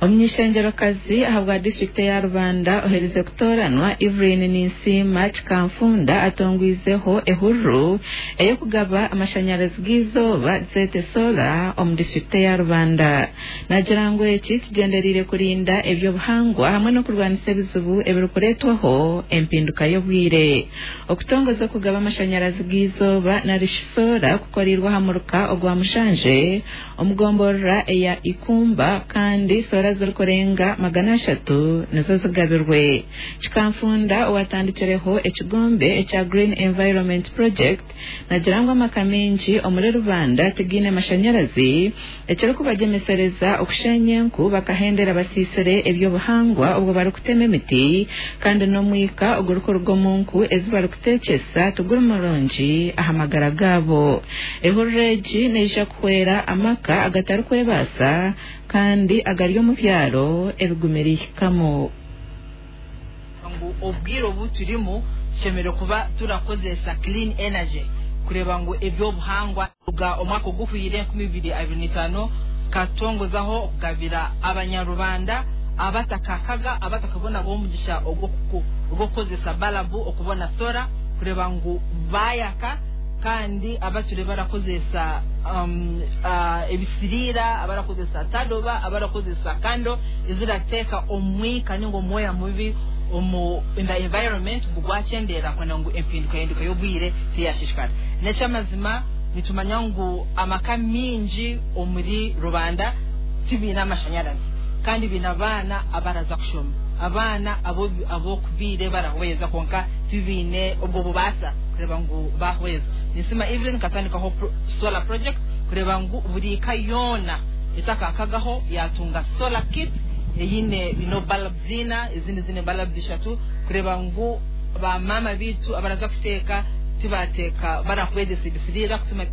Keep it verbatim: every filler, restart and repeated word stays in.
Omunyishengerokazi ahabwa disitulikiti eya Rubanda oherize kutooranwa, Evelyn Ninsiima Kikanfunda, atongwizeho ehururu ey'okugaba amashanyarazi g'eizooba, zeete solar, omu disitulikiti eya Rubanda. Nagira ngu eki kigyendereire kurinda ebyobuhangwa hamwe n'okurwanisa ebizibu ebirikureetwaho empinduka y'obwire. Okutongoza okugaba amashanyarazi g'eizooba narishi solar kukoreirwe aha muruka ogwa Mushanje omugomborora eya Ikumba, kandi solar zirikurenga magana ashatu nizo zigabirwe. Kikanfunda, owatandikireho ekigombe ekya Green Environment Project, nagira ngu amaka maingi omuri Rubanda tigaine mashanyarazi, ekirikubagyemesereza okushenya enku bakahendera basiisire ebyobuhangwa obwo barikutema emiti, kandi n'omwika ogurikuruga omu nku ezi barikuteekyesa tiguri murungi aha magara gaabo. Ehururu egi neija kuhwera amaka agatarikwebaasa kandi agari omu byaro ebigumire ihikamu. Ngu obwire obu turimu tushemereire kuba turakozesa clean energy, kureba ngu ebyobuhangwa. Kuruga omwaka oguhwire enkumi ibiri abiri n'itaano, katongozaho okugabira abanyarubanda abatakakaga, abatakabona b'omugisha ogw'okukozesa balabu, okubona solar, kureba ngu bayaka, kandi abature barakozesa um, uh, ebisiriira, abarakozesa tadoba, abarakozesa candle ezirateeka omwika ninga omwoya mubi omu in the environment, ngu gwakyendeera kwenda ngu empinduka hinduka y'obwire tiyashishikara. N'ekyamazima, nitumanya ngu amaka mingi omuri Rubanda tibiine amashanyarazi, kandi biine abaana abaraza kushoma, abaana abokubiire barahweza, konka tibiine obwo bubaasa kureba ngu bahweza. Ninsima Evelyn katandikaho solar project kureba ngu buri ka yoona etakakagaho yatunga solar kit eyine ino bulbs zina, ezindi zine bulbs ishatu, kureba ngu bamama bitu abaraza kuteeka tibateeka barahwezesa ebisiriira kutuma.